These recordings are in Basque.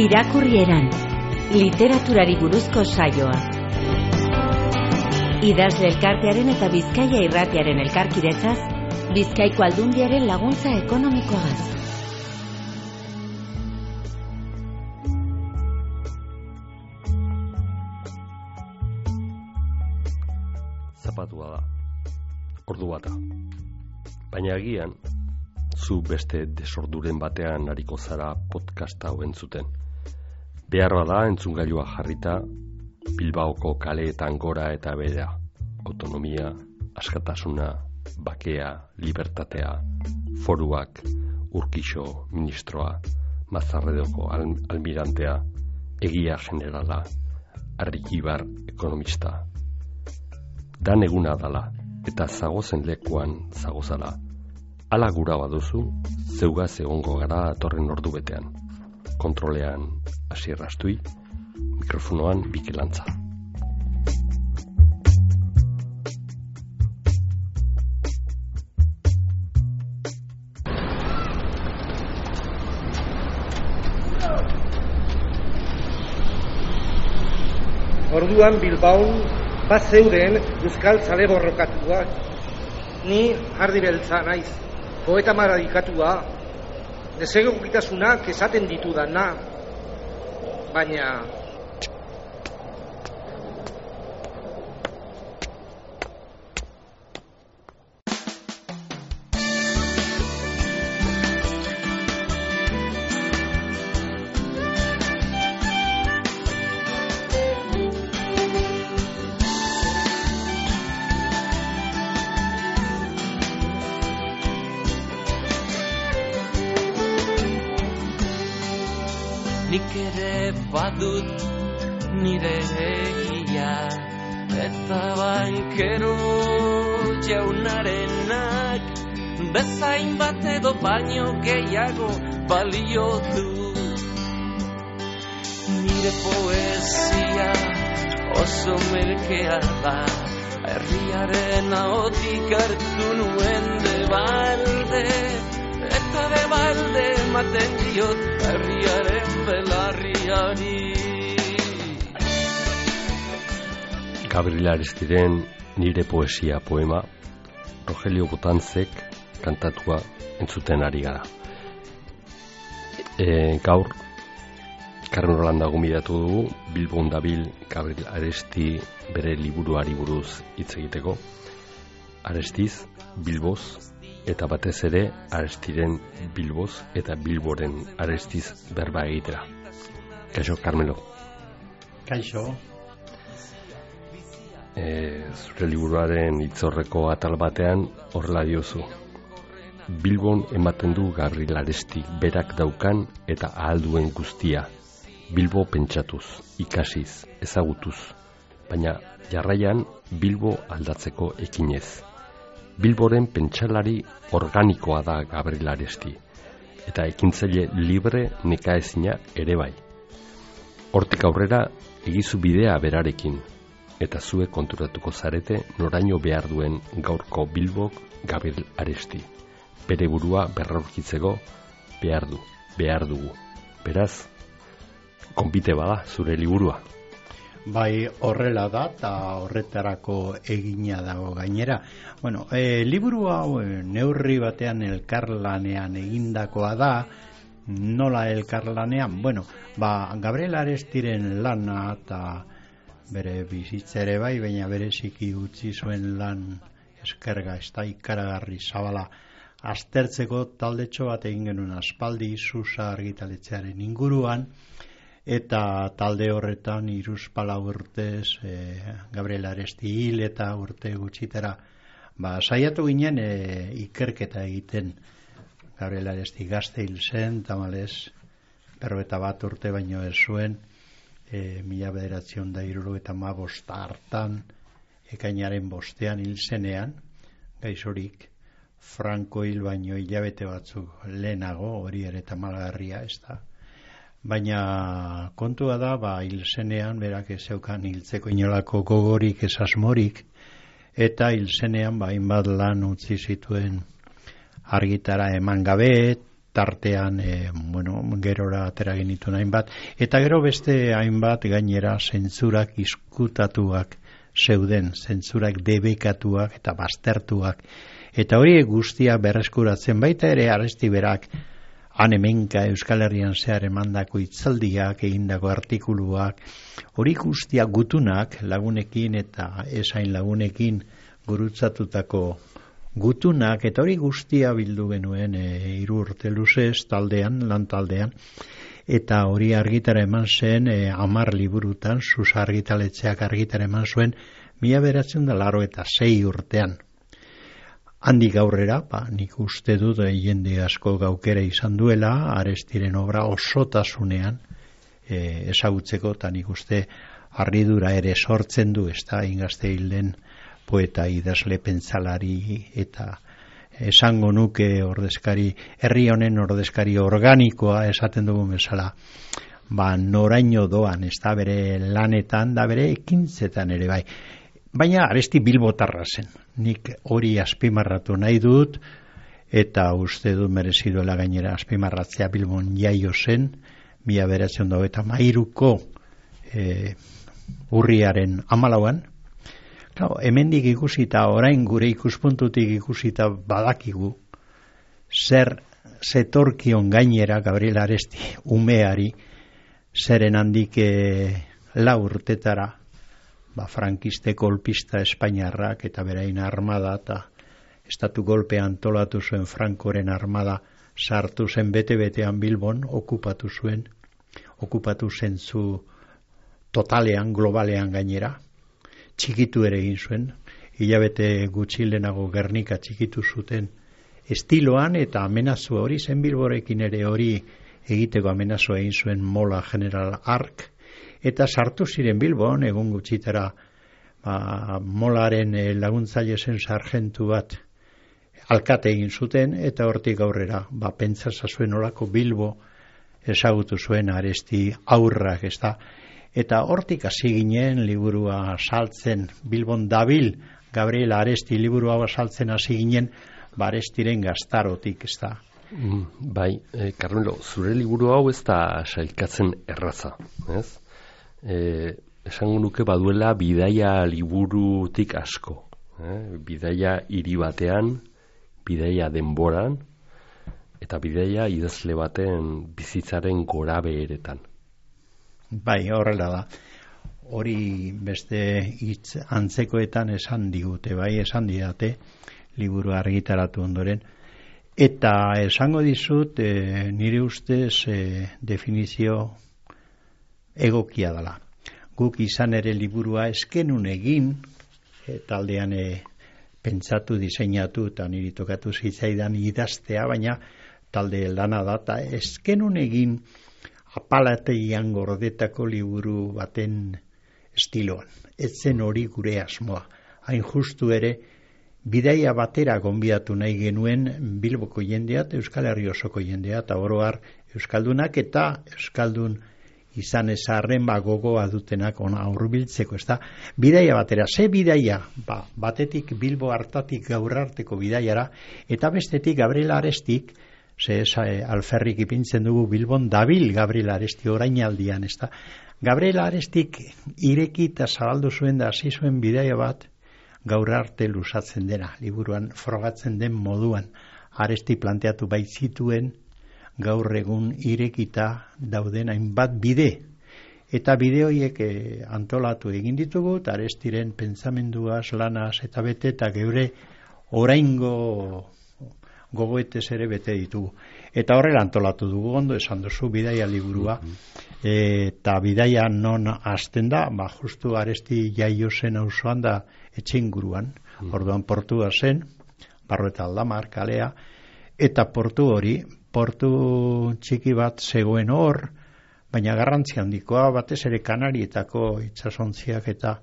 Irakurrieran, literaturari buruzko saioa. Idazle elkartearen eta Bizkaia Irratiaren elkarkidetzaz, Bizkaiko Aldundiaren laguntza ekonomikoaz. Zapatua da, ordu bata. Baina agian, zu beste desorduren batean ariko zara podcasta hau entzuten. Beharra da entzungailua jarrita, Bilbaoko kaleetan gora eta behera. Autonomia, askatasuna, bakea, libertatea, foruak, Urkixo ministroa, Mazarredoko almirantea, egia generala, Arrikibar ekonomista. Dan eguna dala, eta zagozen lekuan zagozala. Ala gura baduzu, zeugaz egongo gara atorren ordu betean. Kontrolean Asier Astui, mikrofonoan Bikelantza. Orduan Bilbaon bazeuden euskal zale borrokatuak. Ni ardi beltza naiz, poeta maradikatua, desegokitasunak esaten ditudana, baina... Nik ere badut nire egia, eta bankero jaunarenak bezain bat edo baino gehiago balio du. Nire poesia oso merkea da, herriaren ahotik hartu nuen de balde, eta de balde ematen diot herriaren belarriari. Gabriel Arestiren nire poesia poema, Rogelio Botanzek kantatua entzuten ari gara. Gaur, Carmen Rolanda gomidatu dugu, Bilbon dabil Gabriel Aresti bere liburuari buruz hitz egiteko. Arestiz, Bilboz, eta batez ere Arestiren Bilboz eta Bilboren Arestiz berba egitera. Kaixo, Carmelo. Kaixo. Zure liburuaren hitzorreko atal batean horrela diozu. Bilbon ematen du Gabriel Arestik berak daukan eta ahal duen guztia. Bilbo pentsatuz, ikasiz, ezagutuz, baina jarraian Bilbo aldatzeko ekinez. Bilboren pentsalari organikoa da Gabriel Aresti, eta ekintzaile libre nekaezina ere bai. Hortik aurrera egizu bidea berarekin, eta zuek konturatuko zarete noraino behar duen gaurko Bilbok Gabriel Aresti. Bere burua berraurkitzeko behar dugu. Beraz, konbite bada zure liburua. Bai, horrela da, eta horretarako egina dago gainera. Bueno, liburu hau neurri batean elkarlanean egindakoa da. Nola elkarlanean? Bueno, Gabriel Arestiren lana eta bere bizitza ere bai, baina bereziki utzi zuen lan eskerga, ez da ikaragarri zabala aztertzeko taldetxo bat egin genuen aspaldi Susa argitaletxearen inguruan, eta talde horretan 3-4 urtez Gabriel Aresti hil eta urte gutxitara saiatu ginen ikerketa egiten. Gabriel Aresti gazte hil zen, tamalez 41 urte baino ez zuen, 1975 hartan ekainaren 5 hil zenean, gaixorik Franco hil baino hilabete batzuk lehenago, hori ere tamalgarria ez da. Baina kontua da, hil zenean, berak ez zeukan hiltzeko inolako gogorik, ez asmorik, eta hil zenean hainbat lan utzi zituen argitara eman gabe, tartean gerora atera genituen hainbat, eta gero beste hainbat gainera zentzurak izkutatuak zeuden, zentzurak debekatuak eta baztertuak, eta hori guztia berreskuratzen baita ere Aresti berak han hemenka Euskal Herrian zehar emandako hitzaldiak, egindako artikuluak, hori guztia gutunak lagunekin eta esain lagunekin gurutzatutako gutunak, eta hori guztia bildu genuen 3 urte luzez taldean, lan taldean, eta hori argitara eman zen 10 liburutan, Sus argitaletxeak argitara eman zuen 1986 urtean. Handik aurrera, nik uste dut jende asko gaukera izan duela, Arestiren obra osotasunean ezagutzeko, eta nik uste harridura ere sortzen du, ez da, ingazte hilden poeta idazle pentsalari eta esango nuke ordezkari, herri honen ordezkari organikoa esaten dugu bezala, noraino doan, ez da, bere lanetan, da bere ekintzetan ere bai. Baina Aresti bilbotarra zen, nik hori azpimarratu nahi dut, eta uste dut mereziduela gainera azpimarratzea. Bilbon jaio zen, 1993ko urriaren 14an. Hemendik ikusita, orain gure ikuspuntutik ikusita badakigu, zer zetorkion gainera Gabriel Aresti umeari, zeren handik 4 urtetara, frankiste golpista espainiarrak eta berain armada eta estatu golpea antolatu zuen Frankoren armada sartu zen bete-betean Bilbon, okupatu zen zu totalean, globalean gainera, txikitu ere egin zuen, hilabete gutxi lehenago Gernika txikitu zuten estiloan, eta amenazua hori zen Bilborekin ere hori egiteko amenazua egin zuen Mola General Ark, eta sartu ziren Bilbon, egun gutxitara Molaren laguntzaile zen sargentu bat alkate egin zuten, eta hortik aurrera, pentsatza zuen olako Bilbo ezagutu zuen Aresti aurrak, ez da. Eta hortik hasi ginen liburua saltzen, Bilbon dabil Gabriel Aresti liburua saltzen hasi ginen, Arestiren gaztarotik, ez da. Bai, Carmelo, zure liburu hau ez da sailkatzen erraza, ez? Esango nuke baduela bidaia liburutik asko, bidaia hiri batean, bidaia denboran, eta bidaia idazle baten bizitzaren gorabeheretan. Bai, horrela da. Hori beste hitz antzekoetan esan digute, bai, esan didate, liburu argitaratu ondoren. Eta esango dizut, nire ustez definizio egokia dela. Guk izan ere liburua eskenun egin, taldean pentsatu, diseinatu, eta niri tokatu zitzaidan idaztea, baina talde lana da, eta eskenun egin apalategian gordetako liburu baten estiloan. Etzen hori gure asmoa. Hain justu ere, bidaia batera gonbidatu nahi genuen Bilboko jendea, Euskal Herri osoko jendea, eta oroar Euskaldunak eta Euskaldun izan ezarren gogoa dutenak ona hurbiltzeko, ez da. Bidaia batera, ze bidaia? Batetik Bilbo hartatik gaur arteko bidaiara, eta bestetik Gabriel Arestik, alferrik ipintzen dugu Bilbon dabil Gabriel Aresti orainaldian, ez da. Gabriel Arestik ireki eta zabaldu zuen da hasi zuen bidaia bat gaur arte luzatzen dena, liburuan frogatzen den moduan. Aresti planteatu baitzituen gaur egun irekita dauden hainbat bide. Eta bide horiek antolatu egin ditugu, eta Arestiren pentsamenduaz, lanaz eta bete, eta geure oraingo gogoetez ere bete ditugu. Eta horrela antolatu dugu, ondo esan duzu, bidaia liburua, eta bidaia non hasten da, justu Aresti jaio zen auzoan da etxinguruan, orduan portua zen, Barrueta Aldamar kalea, eta portu hori, portu txiki bat zegoen hor, baina garrantzi handikoa, batez ere Kanarietako itsasontziak eta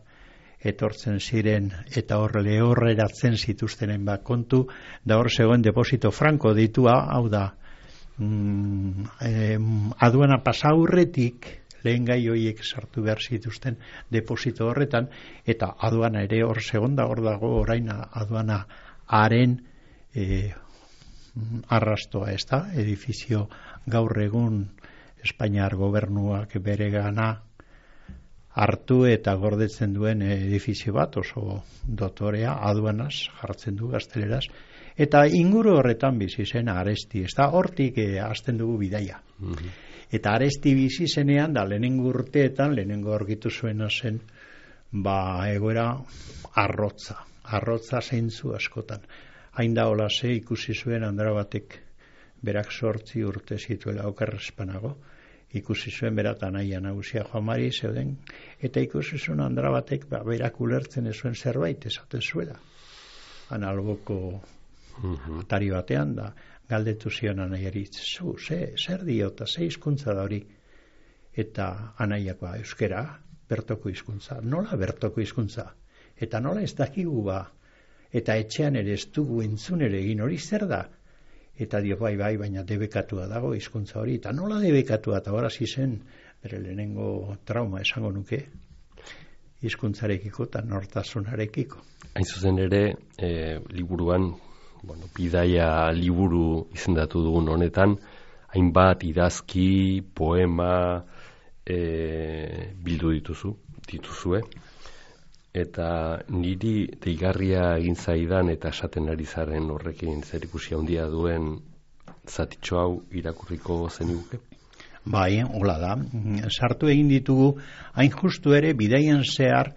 etortzen ziren, eta hor lehorreratzen zituztenen kontu, da hor zegoen deposito franko deitua, hau da, aduana pasaurretik, lehen gai horiek sartu behar zituzten deposito horretan, eta aduana ere hor zegoen da, hor dago orain aduana haren arrastoa, ez da, edifizio gaur egun Espainiar gobernuak beregana hartu eta gordetzen duen edifizio bat, oso dotorea, aduanaz jartzen du gazteleraz, eta inguru horretan bizi zen Aresti, ez da, hortik hasten dugu bidaia. Eta Aresti bizi zenean, da lehenengo urteetan, lehenengo aurkitu zuena zen, egoera arrotza zeintzu askotan. Hain da olase ikusi zuen Andrabatek berak 8 urte zituela okerrezpanago, ikusi zuen berat anaia nagusia Juan Mari zeuden, eta ikusi zuen Andrabatek berak ulertzen ez zuen zerbait esaten zuela. Analboko atari batean da, galdetu zion anaiari, zer diota, ze hizkuntza da hori? Eta anaiakoa, euskera, bertoko hizkuntza. Nola bertoko hizkuntza? Eta nola ez dakigu eta etxean ere ez dugu entzun ere egin hori zer da? Eta dio bai, baina debekatua dago hizkuntza hori. Eta nola debekatua, eta horazi zen, bere lehenengo trauma esango nuke, hizkuntzarekiko eta nortasunarekiko. Hain zuzen ere, liburuan, bidaia liburu izendatu dugun honetan, hainbat idazki, poema bildu dituzue, eta niri deigarria egin zaidan eta esaten ari zaren horrekin zerikusia handia duen zatitxo hau irakurriko zeniguke? Bai, hola da. Sartu egin ditugu, hain justu ere bidaian zehar,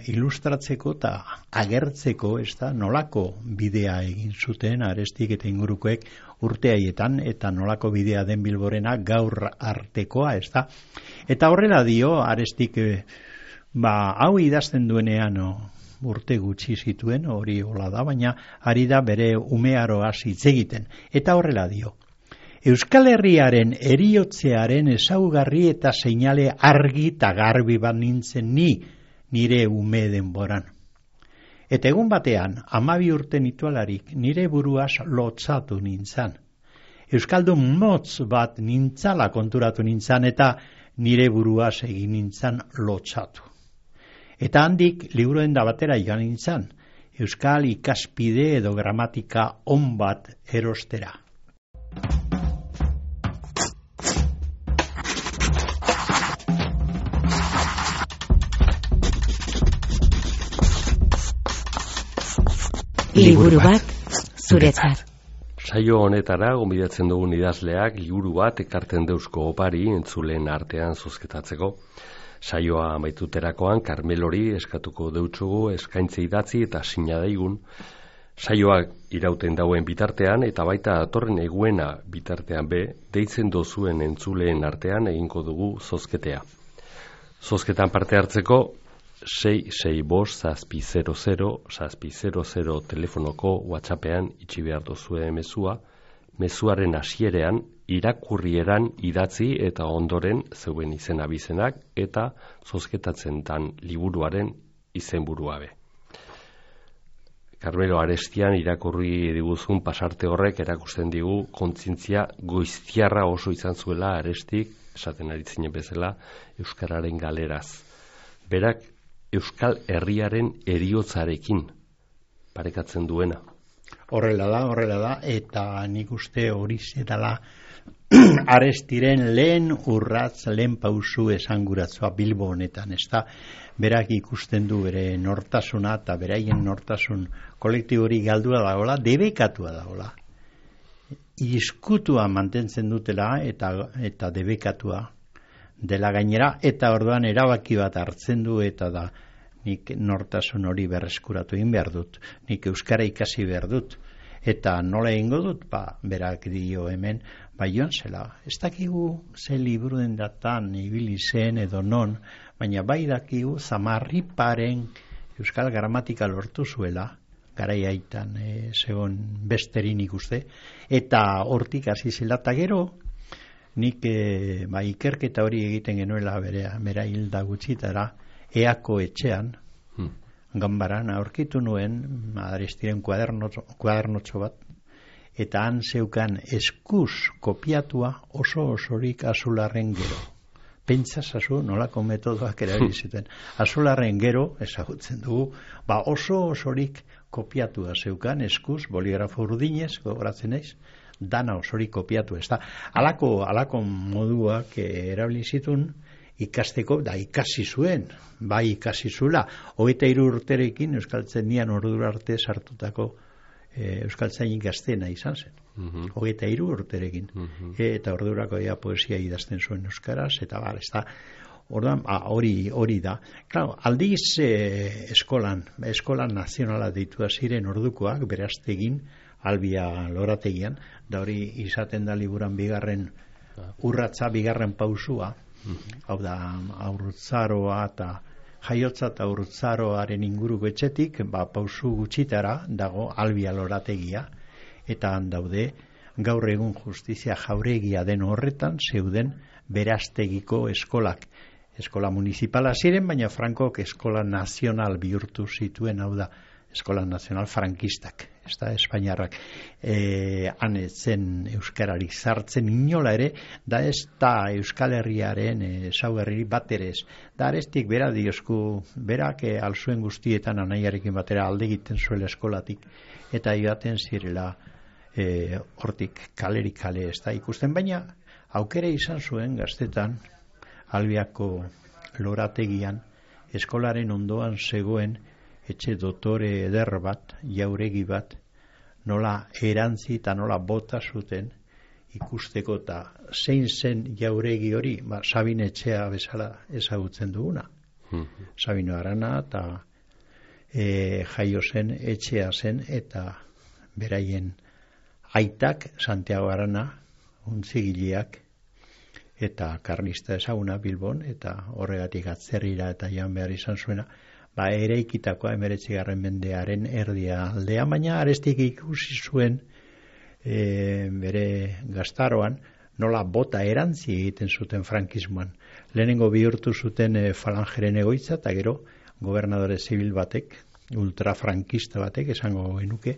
ilustratzeko eta agertzeko, ez da, nolako bidea egin zuten Arestik eta ingurukoek urte haietan, eta nolako bidea den Bilborena gaur artekoa, ez da. Eta horrela dio, Arestik, hau idazten duenean urte gutxi zituen, hori hola da, baina ari da bere umearoaz hitz egiten. Eta horrela dio, Euskal Herriaren eriotzearen ezaugarri eta seinale argi eta garbi bat nintzen nire ume denboran. Eta egun batean, 12 urte nitualarik, nire buruaz lotzatu nintzan. Euskaldun motz bat nintzala konturatu nintzan, eta nire buruaz egin nintzan lotzatu. Eta handik liburuen da batera joan nintzan, Euskal ikaspide edo gramatika on bat erostera. Liburu bat zuretzat. Saio honetara gonbidatzen dugun idazleak liburu bat ekarten deusko opari entzuleen artean zozketatzeko. Saioa amaituterakoan Karmelori eskatuko deutsugu eskaintze idatzi eta sinadaigun. Saioak irauten dauen bitartean eta baita datorren eguena bitartean deitzen dozuen entzuleen artean egingo dugu zozketea. Zozketan parte hartzeko 665-700-700 telefonoko WhatsAppean itxi behar dozue mezuaren hasierean irakurrieran idatzi eta ondoren zeuen izen abizenak eta zozketatzen dan liburuaren izenburua be. Carmelo Arestian irakurri diguzun pasarte horrek erakusten digu kontzientzia goiztiarra oso izan zuela Arestik, esaten ari zinen bezala, euskararen galeraz. Berak Euskal Herriaren eriotzarekin parekatzen duena. Horrela da, eta nik uste hori zedala Arestiren lehen urratz, lehen pausu esanguratzua Bilbo honetan, ez da, berak ikusten du bere nortasuna eta beraien nortasun kolektibori galdua dagoela, debekatua dagoela. Izkutua mantentzen dutela eta debekatua dela gainera, eta orduan erabaki bat hartzen du, eta da nik nortasun hori berreskuratu egin behar dut, nik euskara ikasi behar dut, eta nola egingo dut, berak dio hemen, joan zela, ez dakigu ze liburuen datan ibili zen edo non, baina bai dakigu Zamarriparen euskal gramatika lortu zuela, garai haitan zegoen besterin ikuste, eta hortik hasi zela, eta gero, nik ikerketa hori egiten genuela bera hilda gutxitara, Eako etxean, ganbaran, aurkitu nuen, Arestiren kuadernotxo bat, eta han zeukan eskuz kopiatua osorik azularren gero. Pentsasazu nolako metodoak erabili zuten. Azolarren gero, ezagutzen dugu, oso-osorik kopiatua zeukan, eskuz, boligrafo urdinez, gogoratzen naiz, dana osorik kopiatu, ez da. Alako moduak erabili zituen ikasteko, da ikasi zuen, bai ikasi zuela, 23 urterekin euskaltzenian ordura arte sartutako euskaltzainik gazteena izan zen. 23 urterekin. Eta ordurako poesia idazten zuen euskaraz, eta ez da, orduan, hori da. Claro, aldiz eskolan nazionala deitua ziren ordukoak, beraztegin, Albia lorategian, da hori izaten da liburan bigarren urratza, bigarren pausua, hau da, aurtzaroa eta jaiotza eta aurtzaroaren inguruko etxetik, pausu gutxitara dago Albia lorategia, eta han daude, gaur egun justizia jauregia den horretan, zeuden beraztegiko eskolak. Eskola municipala ziren, baina Frankok eskola nazional bihurtu zituen, hau da, eskola nazional frankistak, ez da, espainiarrak han etzen euskararik sartzen inola ere, da ez da Euskal Herriaren ezaugarri bat ere ez. Da arestik bera diosku, berak alzuen guztietan anaiarekin batera alde egiten zuela eskolatik, eta ibaten zirela hortik kalerik kale ez da ikusten, baina aukera izan zuen gaztetan Albiako lorategian eskolaren ondoan zegoen etxe dotore eder bat, jauregi bat, nola erantzi eta nola bota zuten ikusteko, eta zein zen jauregi hori, Sabin etxea bezala ezagutzen duguna. Sabino Arana eta jaio zen etxea zen, eta beraien aitak Santiago Arana, untzigileak, eta karlista ezaguna Bilbon, eta horregatik atzerrira eta joan behar izan zuena, eraikitakoa 19. mendearen erdia aldea, baina arestik ikusi zuen bere gaztaroan nola bota erantzi egiten zuten frankismoan. Lehenengo bihurtu zuten falangeren egoitza, eta gero gobernadore zibil batek, ultrafrankista batek, esango genuke,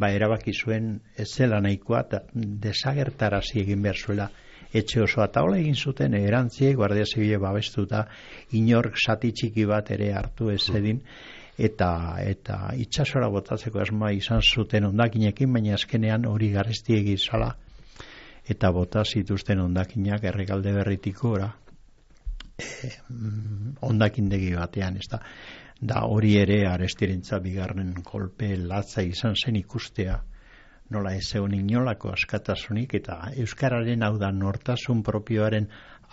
erabaki zuen ez zela nahikoa, eta desagertarazi egin behar zuela etxe osoa, eta hola egin zuten erantziek, Guardia Zibile babestuta, inork sati txiki bat ere hartu ez edin, eta itsasora botatzeko asmoa izan zuten hondakinekin, baina azkenean hori garesti egin zala, eta bota zituzten hondakinak Errekalde Berritiko hondakindegi batean, ez da. Da hori ere arestirentza bigarren kolpe latza izan zen ikustea, nola ez egon inolako askatasunik, eta euskararen hau da nortasun propioaren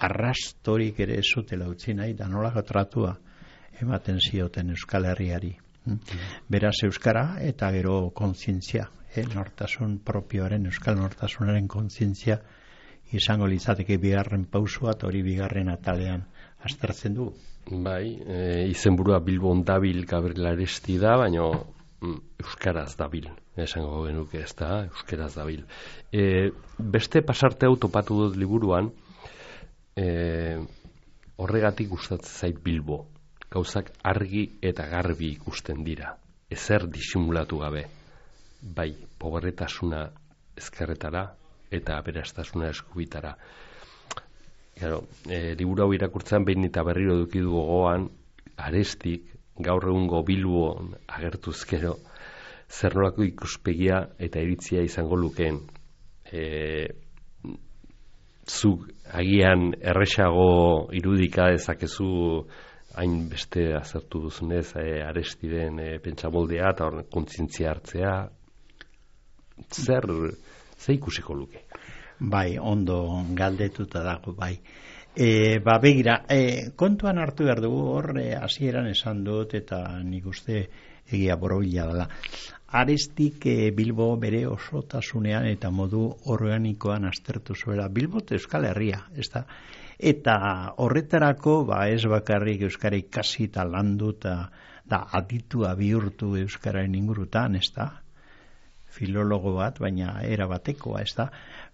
arrastorik ere ez zutela utzi nahi, da nolako tratua ematen zioten Euskal Herriari. Beraz euskara eta gero kontzientzia, nortasun propioaren, euskal nortasunaren kontzientzia izango litzateke bigarren pausua, eta hori bigarren atalean aztertzen du. Bai, izenburua Bilbon dabil Gabriel Aresti da, baina euskaraz dabil, esango genuke, ez da, euskaraz dabil. Beste pasarte hau topatu dut liburuan, horregatik gustatzen zait Bilbo. Gauzak argi eta garbi ikusten dira, ezer disimulatu gabe. Bai, pobretasuna ezkerretara eta aberastasuna eskubitara. Liburu hau irakurtzen behin eta berriro eduki du gogoan, Arestik, gaur egungo Bilbon agertuzkero, zer nolako ikuspegia eta iritzia izango lukeen. Zuk agian erresago irudika dezakezu hain beste azertu duzunez Arestiren pentsamoldea eta kontzientzia hartzea, zer ikusiko luke? Bai, ondo galdetuta dago, bai. Begira, kontuan hartu behar dugu hor, hasieran esan dut, eta nik uste egia borobila dela. Arestik Bilbo bere osotasunean eta modu organikoan aztertu zuela. Bilbo Euskal Herria, ez da? Eta horretarako, ez bakarrik euskara ikasi eta landu eta aditua bihurtu euskararen ingurutan, ez da? Filologo bat, baina era batekoa, ez da?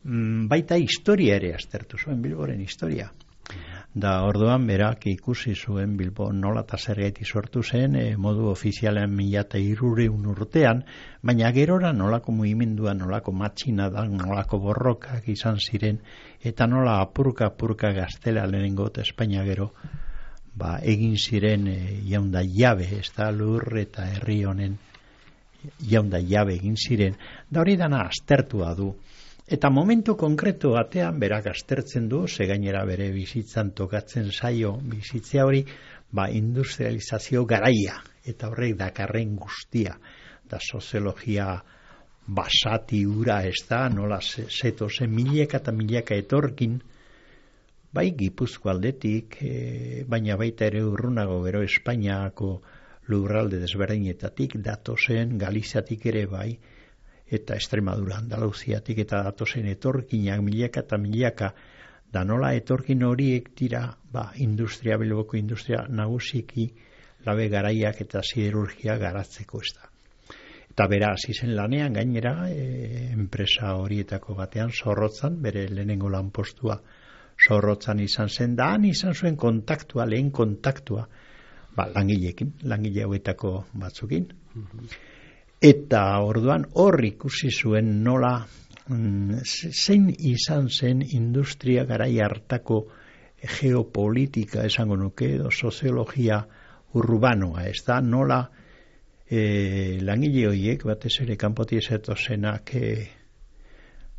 Baita historia ere aztertu zuen, Bilboren historia. Da orduan berak ikusi zuen Bilbo nola eta zergaiti sortu zen, modu ofizialean 1300 urtean, baina gerora nolako mugimendua, nolako matxina da, nolako borrokak izan ziren, eta nola apurka Gaztela lehenengo eta Espainia gero, egin ziren jaunda jabe, ez da lur eta herri honen jaunda jabe egin ziren, da hori dana aztertua du. Eta momentu konkretu batean berak aztertzen du, ze gainera bere bizitzan tokatzen zaio bizitzea hori, industrializazio garaia, eta horrek dakarren guztia, da soziologia basati ura ez da, nola zeto zen milaka eta milaka etorkin, bai Gipuzko aldetik, baina baita ere urrunago gero Espainiako lurralde desberdinetatik, datozen Galiziatik ere bai, eta Extremadura, Andaluziatik eta datozen etorkinak milaka eta milaka, da nola etorkin horiek dira, industria, Bilboko industria nagusiki, labe garaiak eta siderurgia garatzeko ez da. Eta bera hasi zen lanean gainera, enpresa horietako batean Zorrotzan, bere lehenengo lanpostua Zorrotzan izan zen, da han izan zuen kontaktua, lehen kontaktua, langileekin, langile hauetako batzukin. Eta orduan hor ikusi zuen nola zein izan zen industria garai hartako geopolitika esango nuke edo soziologia urbanoa, ez da nola langile horiek batez ere kanpotik zetozenak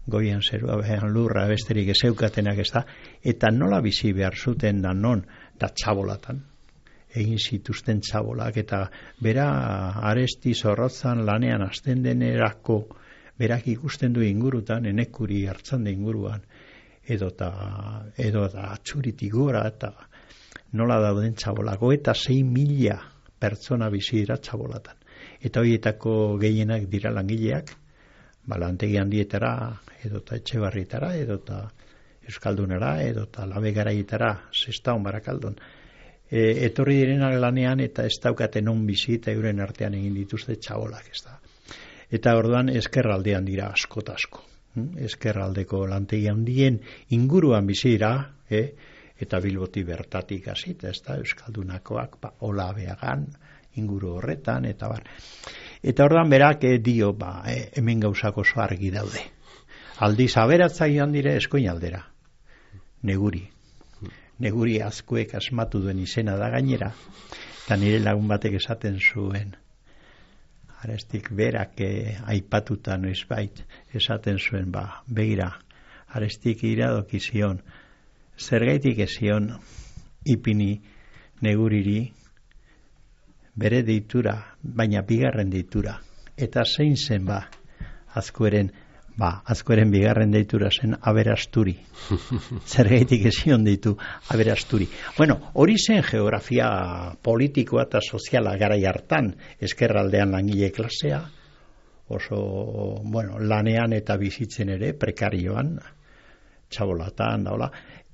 goian zerua behan lurra besterik ezeukatenak ez da, eta nola bizi behar zuten da non, da txabolatan egin zituzten txabolak, eta bera Aresti Zorrotzan lanean hasten denerako berak ikusten du ingurutan, Enekuri Hartzande inguruan, edo Atxuritik gora, eta nola dauden txabolako, eta 6.000 pertsona bizi dira txabolatan. Eta horietako gehienak dira langileak, lantegi handietara, edota Etxebarrietara, edota Euskaldunara, edota Labe Garaietara, Sestaon Barakaldon, etorri direnak lanean eta ez daukaten on bizi eta euren artean egin dituzte txabolak, ez da. Eta orduan ezkerraldean dira asko. Ezkerraldeko lantegi handien inguruan bizi dira, eta Bilboti bertatik hasita, ez da, Euskaldunakoak, Olabeagan, inguru horretan, eta bar. Eta orduan berak dio, hemen gauzako oso argi daude. Aldiz aberatza joan dire Eskuin aldera, Neguri azkuek asmatu duen izena da gainera, eta nire lagun batek esaten zuen, Arestik berak aipatuta noizbait, esaten zuen, begira, Arestik iradoki zion, zergaitik ezion ipini Neguriri bere deitura, baina bigarren deitura, eta zein zen Azkoeren bigarren deitura zen Aberasturi. Zergaitik ezion deitu Aberasturi. Bueno, hori zen geografia politikoa eta soziala garai hartan, ezkerraldean langile klasea, oso, lanean eta bizitzen ere, prekarioan, txabolatan,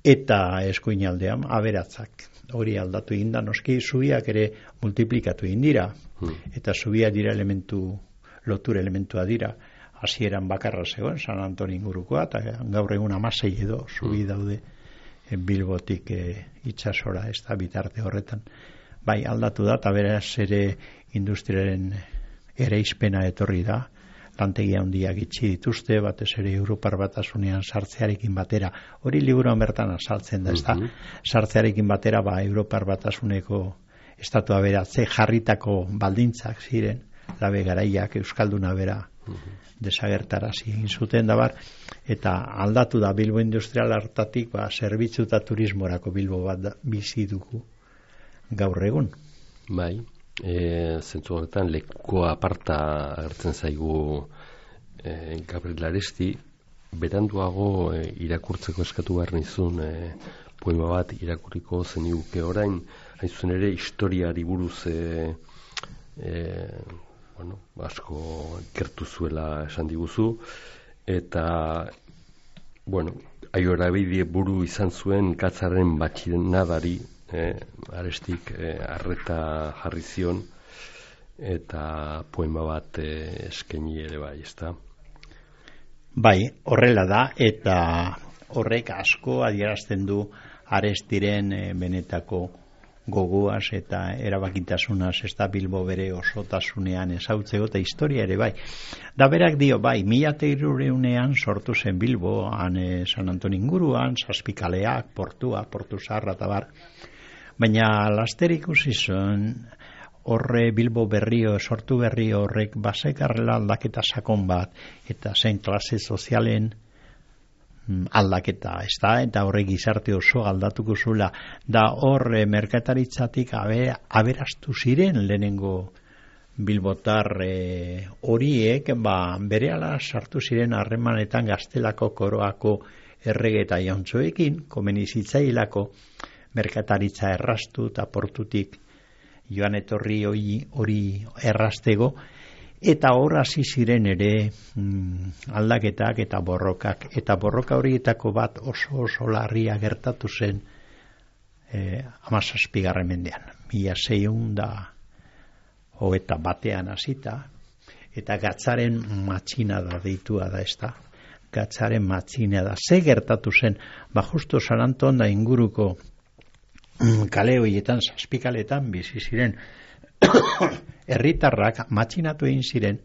eta eskuinaldean aberatzak. Hori aldatu egin da, noski zubiak ere multiplikatu egin dira, eta zubiak dira lotura elementua dira, hasieran bakarra zegoen, San Antoni ingurukoa, eta gaur egun 16 edo zubi daude Bilbotik itsasora, ez da bitarte horretan. Aldatu da, eta beraz ere industriaren ereizpena etorri da, lantegi handiak itxi dituzte, batez ere Europar Batasunean sartzearekin batera, hori liburuan bertan azaltzen da, ez da, sartzearekin batera, Europar Batasuneko estatua beratze jarritako baldintzak ziren, Labe Garaiak, Euskalduna bera, desagertarazi egin zuten eta aldatu da Bilbo industrial hartatik zerbitzu eta turismorako Bilbo bat bizi dugu gaur egun. Zentzu horretan lekuko aparta agertzen zaigu Gabriel Aresti, beranduago irakurtzeko eskatu behar nizun poema bat irakurriko zeniguke orain, hain zuen ere historiari buruz asko ikertu zuela esan diguzu, eta aiorabide buru izan zuen Katzaren batxinadari, Arestik arreta jarri zion, eta poema bat eskaini ere ezta? Horrela da, eta horrek asko adierazten du Arestiren benetako gogoaz eta erabakitasunaz ez da Bilbo bere osotasunean ezautzeko eta historia ere bai. Da berak dio bai, 1300ean sortu zen Bilbo, han San Antonio inguruan, Zazpikaleak, Portua, Portu Zaharra eta bar. Baina laster ikusi zen, horre Bilbo berrio, sortu berrio horrek basekarrela aldaketa sakon bat, eta zen klase sozialen aldaketa, ez da, eta horrek gizarte oso aldatuko zula, da hor merkataritzatik aberastu ziren lehenengo bilbotar horiek, berehala sartu ziren harremanetan Gaztelako koroako errege eta jauntxoekin, komeni zitzailako merkataritza errastu eta portutik joan etorri hori errastego, eta hor hasi ziren ere aldaketak eta borrokak. Eta borroka horietako bat oso larria gertatu zen 17. mendean. 1621 hasita, eta gatzaren matxinada deitua da ez da. Gatzaren matxinada. Ze gertatu zen, justo San Anton da inguruko kale horietan, Zazpikaletan bizi ziren herritarrak matxinatu egin ziren,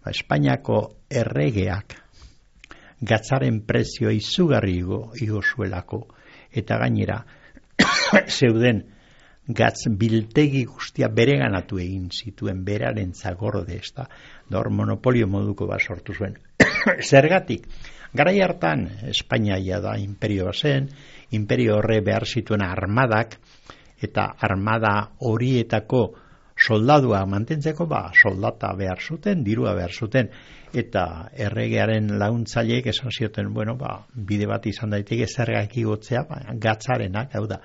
Espainiako erregeak gatzaren prezioa izugarri igo zuelako, eta gainera zeuden gatz biltegi guztia bereganatu egin zituen beraren zagorde, ez da, hor monopolio moduko bat sortu zuen. Zergatik, garai hartan Espainiaia da imperioa zen, imperio horre behar zituen armadak, eta armada horietako soldadua mantentzeko, soldata behar zuten, dirua behar zuten, eta erregearen laguntzaileek esan zioten, bide bat izan daiteke zergak igotzea, gatzarenak, hau da,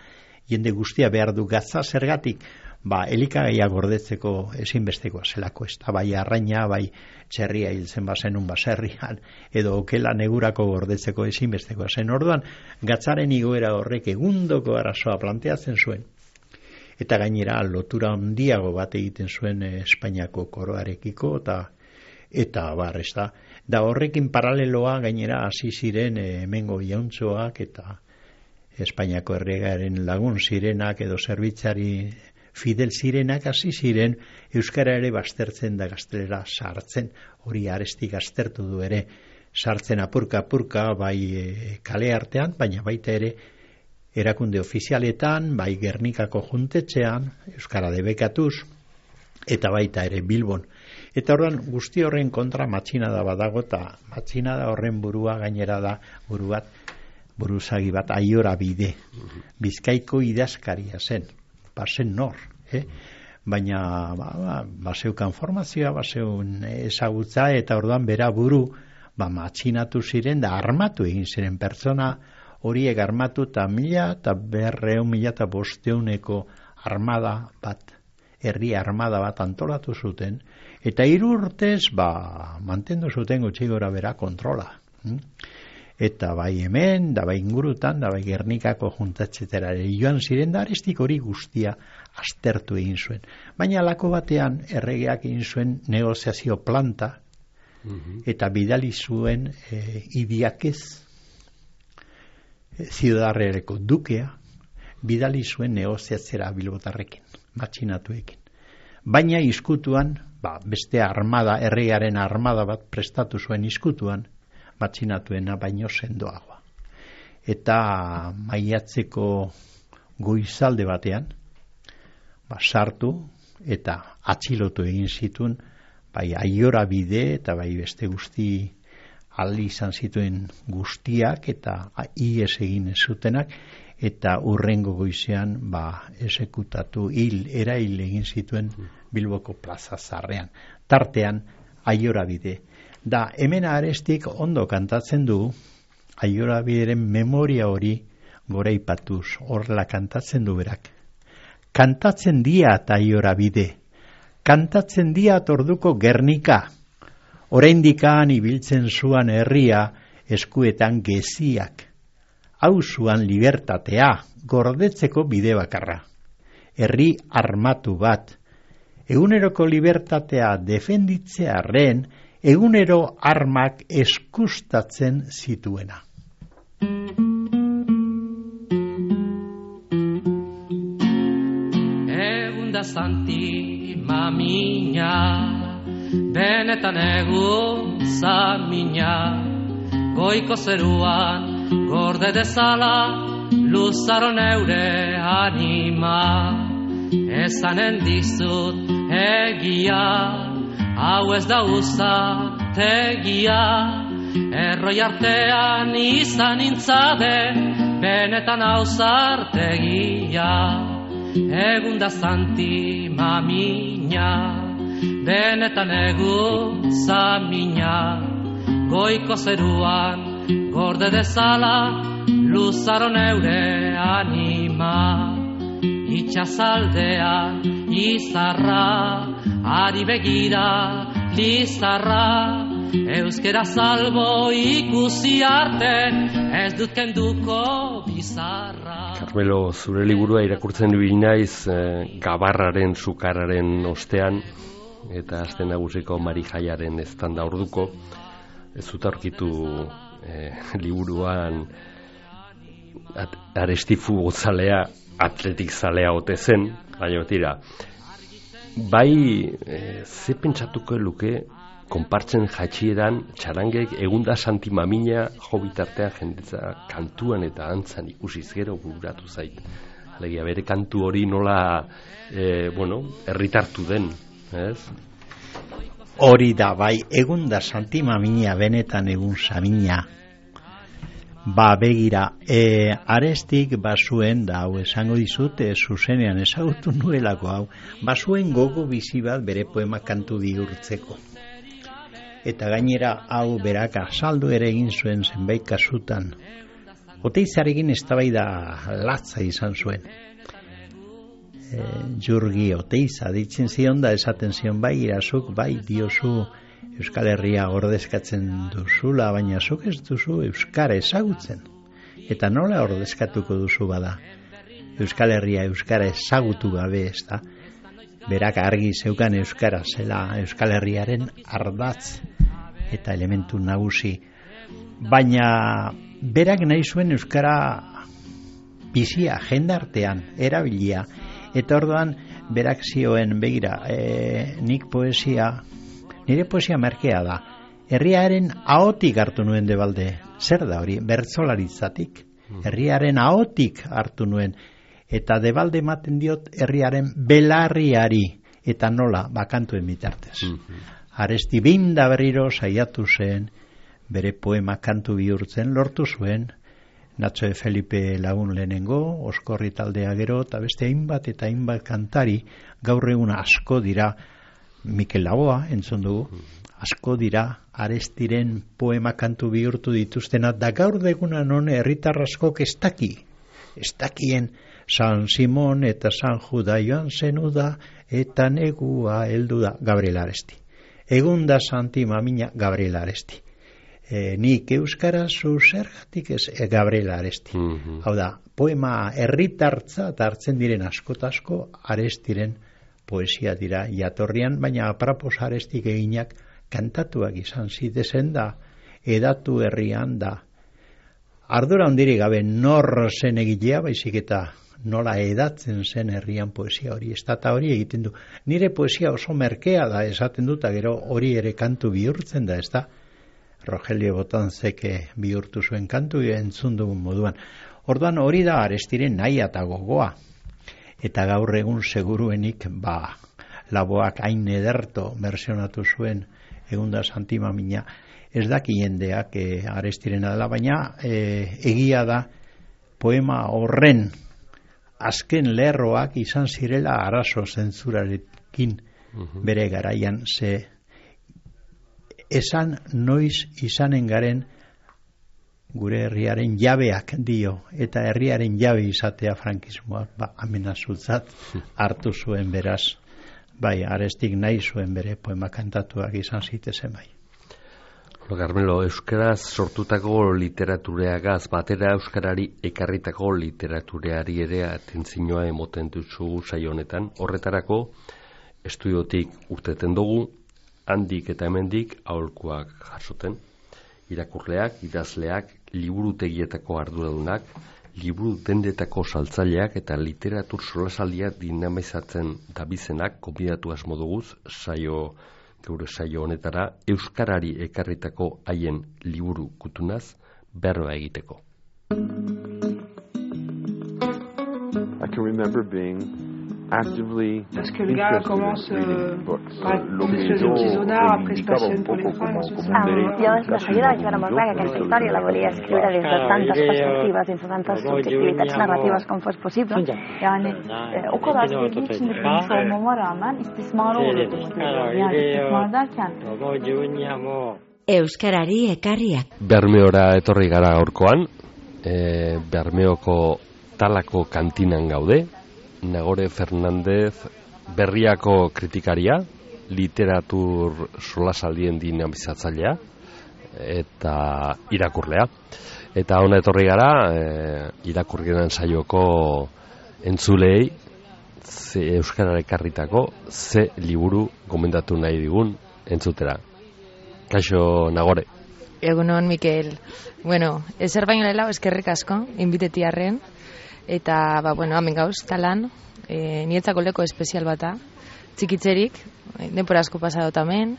jende guztia behar du gatza, zergatik, elikagaia gordetzeko ezinbestekoa zelako, ez da, bai arraina, bai txerria hiltzen bazenun baserrian, edo okela negurako gordetzeko ezinbestekoa zen. Orduan, gatzaren igoera horrek egundoko arazoa planteatzen zuen, eta gainera lotura handiago bat egiten zuen Espainiako koroarekiko, eta ez da. Da horrekin paraleloa gainera hasi ziren hemengo jauntxoak eta Espainiako erregaren lagun zirenak edo zerbitzari fidel zirenak hasi ziren euskara ere baztertzen da gaztelera sartzen, hori Arestik aztertu du ere, sartzen apurka bai kale artean, baina baita ere erakunde ofizialetan, bai Gernikako juntetxean, euskara debekatuz, eta baita ere Bilbon. Eta horren guzti horren kontra matxinada badago, eta matxinada horren burua gainera da buruzagi bat Aiora Bide. Bizkaiko idazkaria zen, bazen nor, baina baseukan formazioa, baseun ezagutza, eta orduan bera buru matxinatu ziren, da armatu egin ziren pertsona horiek armatu eta 1500 armada bat, herri armada bat antolatu zuten, eta 3 urtez mantendu zuten gutxi gora bera kontrola. Eta bai hemen, da bai ingurutan, da bai Gernikako juntatxetera joan ziren, da Arestik hori guztia aztertu egin zuen. Baina alako batean erregeak egin zuen negoziazio planta, eta bidali zuen Idiakez, Ziudadarrereko dukea, bidali zuen negoziatzera bilbotarrekin, matxinatuekin. Baina izkutuan, beste armada, erregearen armada bat prestatu zuen izkutuan, matxinatuena baino sendoagoa. Eta maiatzeko goizalde batean, sartu eta atxilotu egin zituen, bai Aiora Bide eta bai beste guzti aldi izan zituen guztiak eta ies egin zutenak, eta urrengo goizean esekutatu erail egin zituen Bilboko Plaza Zarrean. Tartean Aiora Bide. Da, hemen Arestik ondo kantatzen du, Aiora Bideren memoria hori goraipatuz, horrela kantatzen du berak. Kantatzen diat Aiora Bide, kantatzen diat orduko Gernika, oraindikan ibiltzen zuan herria eskuetan geziak, hau zuan libertatea, gordetzeko bide bakarra. Herri armatu bat, eguneroko libertatea defenditzearren, egunero armak eskustatzen zituena. santi mamina, benetan egun zamina, goiko zeruan gorde dezala, luzaro neure anima. Ezanen dizut egia, hau ez da uzategia, erroi artean izan intzade, benetan hauzartegia. Egun da santi mamina, benetan egun zamina, goiko zeruan gorde dezala, luzaro neure anima. Itxasaldean izarra, ari begira lizarra, euskera salbo ikusi arte, ez dut kenduko bizarra. Carmelo, zure liburua irakurtzen du naiz gabarraren sukararen ostean, eta aste nagusiko Marijaiaren eztanda orduko, ez dut aurkitu liburuan Arestifu gozalea atletik zalea ote zen, baina tira. Bai, ze pentsatuko luke konpartzen jatxieran txarangek egunda santi mamina jo bitartean jendetza kantuan eta antzan ikusiz gero bururatu zait. Alegia bere kantu hori nola herritartu den, ez? Hori da, bai, egunda santi mamina benetan egun samina. Ba, begira, Arestik bazuen, da hau esango dizut, zuzenean ezagutu nuelako hau, bazuen gogo bizi bat bere poema kantu bihurtzeko. Eta gainera hau berak azaldu ere egin zuen zenbait kasutan. Oteizarekin eztabaida latza izan zuen. Jurgi Oteiza ditzen zion da esaten zion bai irazuk, bai diozu Euskal Herria ordezkatzen duzula, baina zuk ez duzu Euskara ezagutzen. Eta nola ordezkatuko duzu bada? Euskal Herria Euskara ezagutu gabe, ez da? Berak argi zeukan Euskara zela Euskal Herriaren ardatz eta elementu nagusi. Baina berak nahi zuen Euskara bizia, jendartean, erabilia. Eta orduan berak zioen, begira, nire poesia merkea da. Herriaren ahotik hartu nuen Debalde. Zer da hori? Bertsolaritzatik. Herriaren ahotik hartu nuen. Eta Debalde ematen diot herriaren belarriari. Eta nola, bakantuen bitartez. Aresti behin da berriro saiatu zen, bere poema kantu bihurtzen lortu zuen, Nacho de Felipe lagun lehenengo, Oskorri taldea gero, eta beste hainbat eta hainbat kantari, gaur egun asko dira, Mikel Laboa entzun dugu, asko dira Arestiren poema kantu bihurtu dituztena, da gaur deguna non herritar askok ez dakien San Simon eta San Juda joan zenuda, eta negua heldu da Gabriel Aresti. Egun da santi mamina Gabriel Aresti. Nik euskaraz zergatik ez Gabriel Aresti. Hau da, poema herritartza eta hartzen diren askotasko Arestiren poesia dira jatorrian, baina aprapos Arestik eginak kantatuak izan zitezen da, edatu herrian da. Ardura handirik gabe nor zen egilea, baizik eta nola edatzen zen herrian poesia hori, ez da hori egiten du. Nire poesia oso merkea da, esaten dut, gero hori ere kantu bihurtzen da, ez da? Rogelio Botanzeke bihurtu zuen kantu entzun dugun moduan. Orduan hori da Arestiren nahi eta gogoa. Eta gaur egun seguruenik, Laboak hain ederto versionatu zuen egunda santi mamina, ez daki jendeak Arestirena dela, baina egia da poema horren azken lerroak izan zirela arazo zentzurarekin bere garaian, ze esan noiz izanen garen gure herriaren jabeak dio, eta herriaren jabe izatea frankismoak amenazutzat hartu zuen beraz. Bai, Arestik nahi zuen bere poema kantatuak izan zitezen bai. Carmelo, euskaraz sortutako literatureagaz batera euskarari ekarritako literatureari ere atentzioa emoten duzu saio honetan. Horretarako estudiotik urteten dugu, handik eta hemendik aholkuak jasoten. Irakurleak, idazleak, liburutegietako arduradunak, liburu dendetako saltzaileak eta literatur solasaldia dinamizatzen dabizenak konbidatu asmo duguz geure saio honetara euskarari ekarritako haien liburu kutunaz berba egiteko. I can remember being actively parce que le gars commence par des choses de petits honneurs, après se passionne pour les femmes. Jo de seguida vaig veure molt clar que aquesta història la volia escriure des de tantes perspectives, dins de tantes subjectivitats narratives com fos possible. Yani o kadar sevdiği için de bilmiş olmama rağmen istismarı olurdu. Yani istismar derken Euskarari ekarriak. Bermeora etorri gara gaurkoan, Bermeoko Talako kantinan gaude, Nagore Fernandez Berriako kritikaria, literatur solasaldien dinamizatzailea eta irakurlea. Eta hona etorri gara, irakurgenan saioko entzulei Euskarara ekarritako ze liburu gomendatu nahi digun entzutera. Kaixo, Nagore. Egunon, Mikel. Bueno, ezer baino lehenago eskerrik asko, inbitetiarren. Eta, hemen gauz, talan, nietzako leko espezial bata, txikitzerik, denpora asko pasado tamen,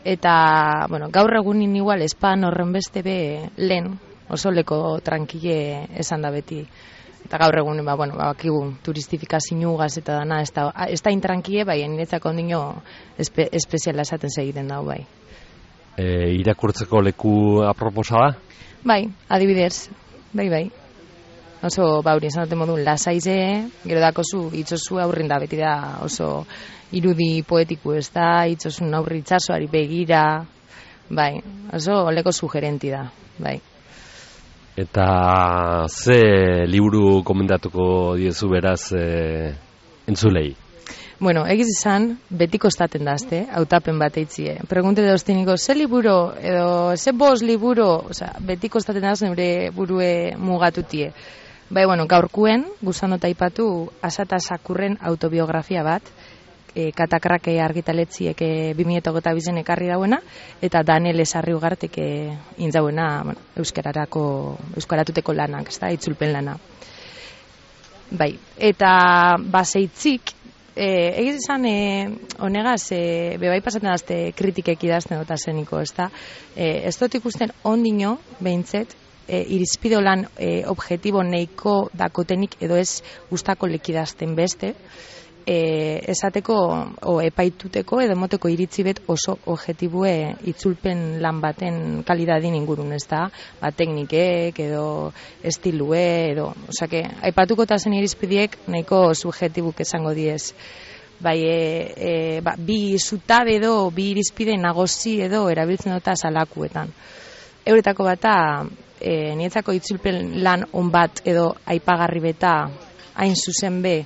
eta, gaur egunin igual espan horren beste be lehen, oso leko tranquile esan da beti. Eta gaur egunin, bakigu, turistifikaziougaz eta dana, ez da intranquile, bai, nietzako ondino espeziala esaten segiten dago, bai. Irakurtzeko leku aproposa da? Bai, adibidez, bai. Oso, hori esan dute modun, lasaize, gero dakozu, itzozu aurrin da, beti da oso irudi poetiku ez da, itzozun aurri itzazoari begira, bai, oso oleko sugerenti da, bai. Eta ze liburu komendatuko diezu beraz entzulei? Egiz izan, beti kostaten dazte, hautapen bat eitzie. Pregunte dauztiniko, ze liburu, edo, ze bost liburu, beti kostaten daz neure burue mugatutie. Gaurkuen, guzan aipatu Asata Sakurren autobiografia bat, Katakrake argitaletziek 2022 ekarri dauena, eta Daniel Esarri Ugartek intzauena euskaratuteko lanak, itzulpen lana. Eta baseitzik, egiz izan, honegaz, bebai pasatzen dazte kritikek idazten dota zeniko, ez dut ikusten ondino, behintzet, irizpide lan objektibo neiko dakotenik edo ez gustako lekidazten beste, esateko epaituteko edo moteko iritzi bet oso objektibue itzulpen lan baten kalidadin ingurun, teknikek edo estilue edo, aipatuko eta zen irizpideek nahiko subjektibuk esango diez. Bi zutabe edo, bi irizpide nagozi edo erabiltzen dota salakuetan. Euretako bata, nietzako itzulpen lan on bat edo aipagarri beta hain zuzen be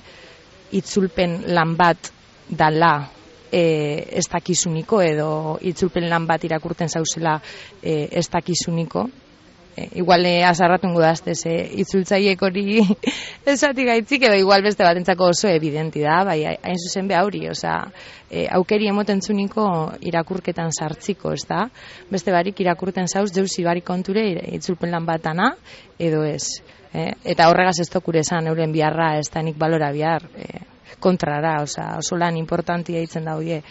itzulpen lan bat dala ez dakizuniko edo itzulpen lan bat irakurten zauzela ez dakizuniko. Igual azarratungo daztez itzultzaiek hori esatik gaitzik edo igual beste batentzako oso evidenti da, hain zuzen be hauri, aukeri emoten zuniko irakurketan sartziko, beste barik irakurten zauz deusi barik konture itzulpen lan batana edo ez. Eta horregaz ez tokure esan euren biharra ez da nik balora bihar kontrara, oso lan importantia hitzen da hoie.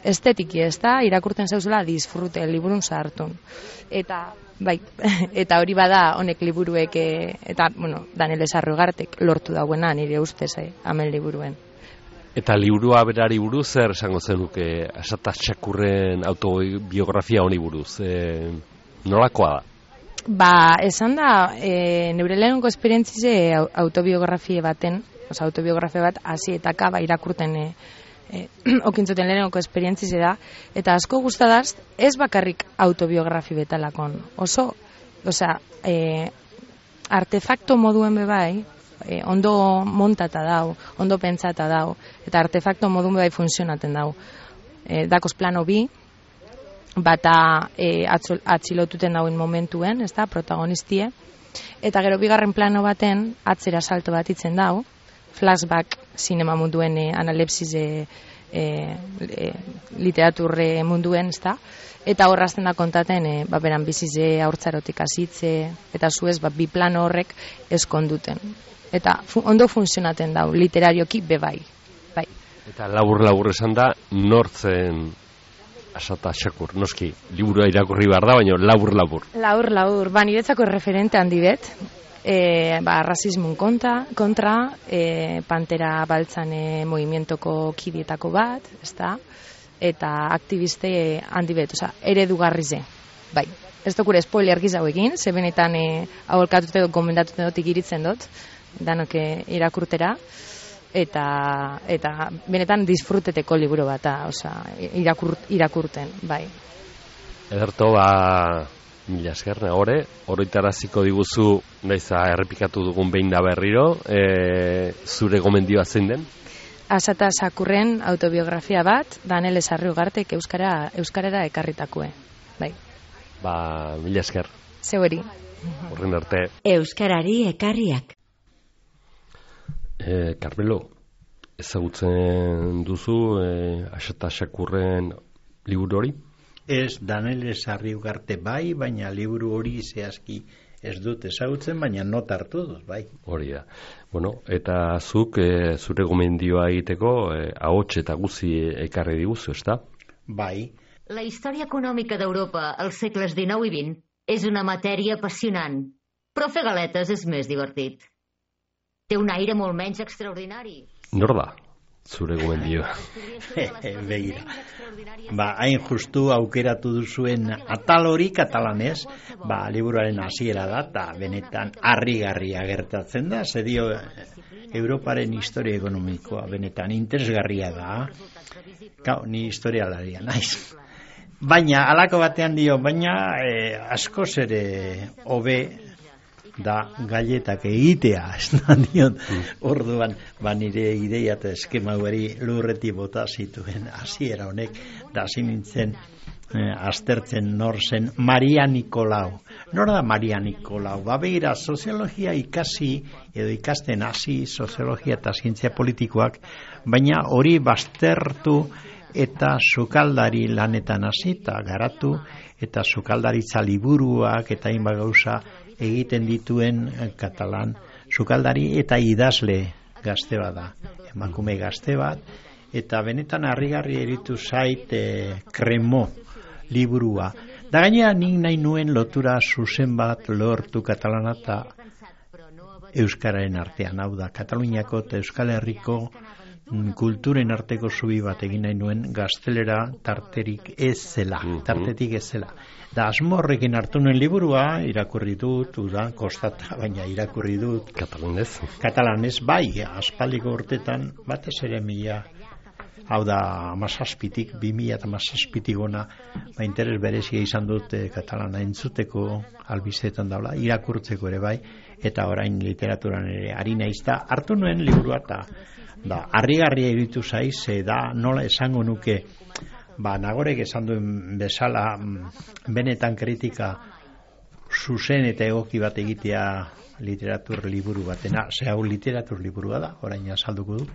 Estetiki ez da, irakurten zauzela disfrute, liburun sartun. Eta hori bada honek liburuek, eta, Daniel Esarri Ugartek lortu dauena nire ustez, amen liburuen. Eta liburua berari buruz, zer esango zenuke Asata Sakurren autobiografia honi buruz? Nolakoa da? Esan da, neure lehenengo esperientzize autobiografia baten, autobiografia bat hasi eta kaba irakurten okintzuten lehenengo esperientzize da, eta asko gustadaz, ez bakarrik autobiografi betalakon. Artefakto moduen bebai, ondo montata dau, ondo pentsata dau, eta artefakto moduen bebai funtzionaten dau. Dakoz plano bi, bata atxilotuten dauen momentuen, ez da, protagonistie, eta gero bigarren plano baten atzera salto bat itzen dau, flashback zinema munduen analepsize literaturre munduen, ezta? Eta horrazten da kontaten, beran bizize haurtzarotik hasitze, eta zuez, bi plano horrek eskonduten. Eta ondo funtzionaten dau, literarioki bebai. Bai. Eta labur esan da, nortzen Asata Shakur, noski, liburua irakurri behar da, baina labur. Labur, niretzako referente handi bet, rasismun kontra, Pantera Baltzan movimientoko kidietako bat, ezta? Eta aktiviste handi bet, eredugarri ze. Bai, ez dokure spoiler gizau egin, ze benetan aholkatute dut, gomendatute dut ikiritzen dut, danok irakurtera, eta benetan disfruteteko liburu bat, irakurten, bai. Ederto, mila esker, oroitaraziko diguzu, naiza errepikatu dugun behin da berriro, zure gomendioa zein den? Asata Shakurren autobiografia bat, Danele Sarriugartek euskarara ekarritakue. Bai. Mila esker. Zeueri. Horren arte. Euskarari ekarriak. Carmelo, ezagutzen duzu Asata Shakurren liburu hori? Ez, Danele Sarriugarte bai, baina liburu hori zehazki ez dut ezagutzen, baina not hartu dut, bai. Hori da. Bueno, eta zuk zure gomendioa egiteko ahots eta guzi ekarri diguzu, ezta? Bai. La història econòmica d'Europa als segles XIX i XX és una matèria apassionant, però fer galetes és més divertit. Té un aire molt menys extraordinari. Nor da, zure gomendioa? Begira. Hain justu aukeratu duzuen atal hori katalanez, liburuaren hasiera da, eta benetan harrigarria gertatzen da, zedio Europaren historia ekonomikoa, benetan interesgarria da. Ni historialaria naiz. Baina, alako batean dio, askoz ere hobe da galetak egitea, ez da diot, orduan, nire ideia eta eskema hori lurreti bota zituen hasiera honek, da hasi nintzen aztertzen nor zen Maria Nikolau. Nor da Maria Nikolau? Begira, soziologia ikasi, edo ikasten hasi soziologia eta zientzia politikoak, baina hori baztertu eta sukaldari lanetan hasi eta garatu, eta sukaldaritza liburuak eta hainbat gauza egiten dituen katalan sukaldari eta idazle gazte bat da, emakume gazte bat, eta benetan harrigarri eritu zait Kremo liburua. Da gainera nik nahi nuen lotura zuzen bat lortu katalana eta euskararen artean, hau da, Kataluniako eta Euskal Herriko kulturen arteko zubi bat egin nahi nuen gaztelera tartetik ez zela. Da asmo horrekin hartu nuen liburua, irakurri dut, kostata, baina irakurri dut. Katalanez, bai, aspaldiko urtetan, batez ere hau da, 2017 gona, interes berezia izan dut katalana entzuteko albistetan daula, irakurtzeko ere bai, eta orain literaturan ere ari naiz da, hartu nuen liburua eta harrigarria iritu zaiz, da nola esango nuke, Nagorek esan duen bezala benetan kritika zuzen eta egoki bat egitea literatur liburu batena, hau literatur liburua da, orain azalduko dut,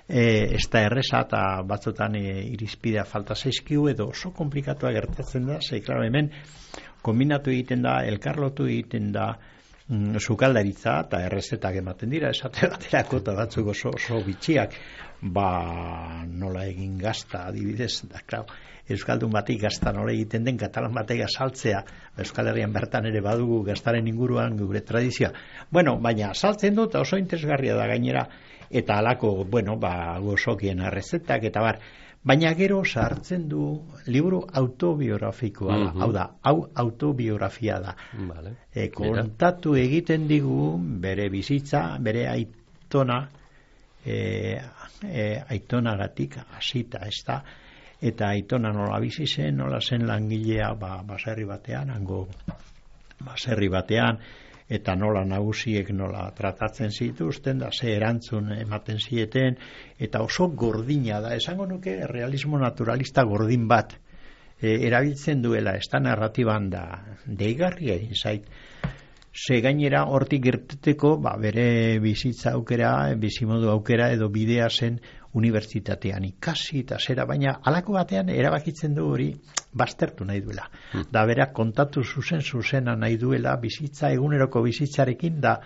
ez da erreza eta batzotan irizpidea falta zaizkiu edo oso komplikatua gertatzen da, klaro hemen kombinatu egiten da, elkarlotu egiten da sukaldaritza eta errezetak ematen dira, esate baterako eta batzuk oso bitxiak, nola egin gazta adibidez, euskaldun batik gazta nola egiten den katalan batek azaltzea, Euskal Herrian bertan ere badugu gaztaren inguruan gure tradizioa, baina azaltzen dut oso interesgarria da gainera, eta alako, gozokien errezetak eta baina gero sartzen du liburu autobiografikoa da, hau da, hau autobiografia da. Kontatu egiten digu bere bizitza, bere aitonagatik hasita, ez da, eta aitona nola bizi zen, nola zen langilea baserri batean, eta nola nagusiek nola tratatzen zituzten, da ze erantzun ematen zieten, eta oso gordina da, esango nuke realismo naturalista gordin bat erabiltzen duela, ez da narratiban da, deigarria egin zait, ze gainera hortik gerteteko bere bizitza aukera, bizimodu aukera edo bidea zen unibertsitatean ikasi eta zera, baina halako batean erabakitzen du hori baztertu nahi duela. Da berak kontatu zuzena nahi duela bizitza, eguneroko bizitzarekin, da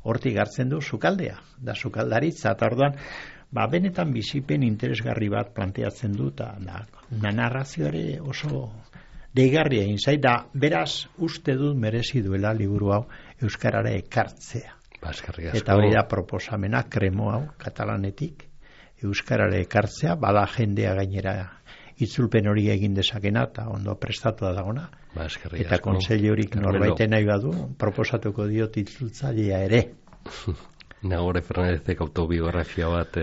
hortik hartzen du sukaldea, da sukaldaritza, eta orduan, benetan bizipen interesgarri bat planteatzen du, eta narrazio ere oso deigarria egin zait, da beraz uste dut merezi duela liburu hau euskarara ekartzea. Eta hori da proposamena, kremo hau, katalanetik, euskarara ekartzea, bada jendea gainera itzulpen hori egin dezakena, eta ondo prestatua dagona, eta kontseilurik norbaiten nahi badu, proposatuko diot itzultzailea ere. Nagore Fernandezek autobiografia bat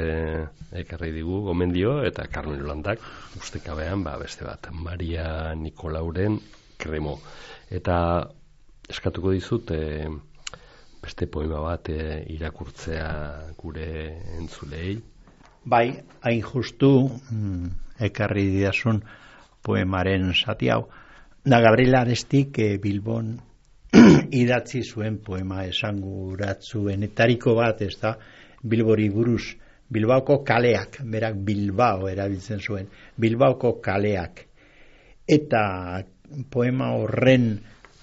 ekarri digu, gomendio, eta Carmen Landak, ustekabean, beste bat, Maria Nikolauren kremo. Eta eskatuko dizut, beste poema bat irakurtzea gure entzulei. Bai, hain justu ekarri didasun poemaren zati hau. Da Gabriel Arestik Bilbon idatzi zuen poema esanguratsuenetariko bat, ez da, Bilbori buruz, Bilbaoko kaleak, berak Bilbao erabiltzen zuen, Bilbaoko kaleak. Eta poema horren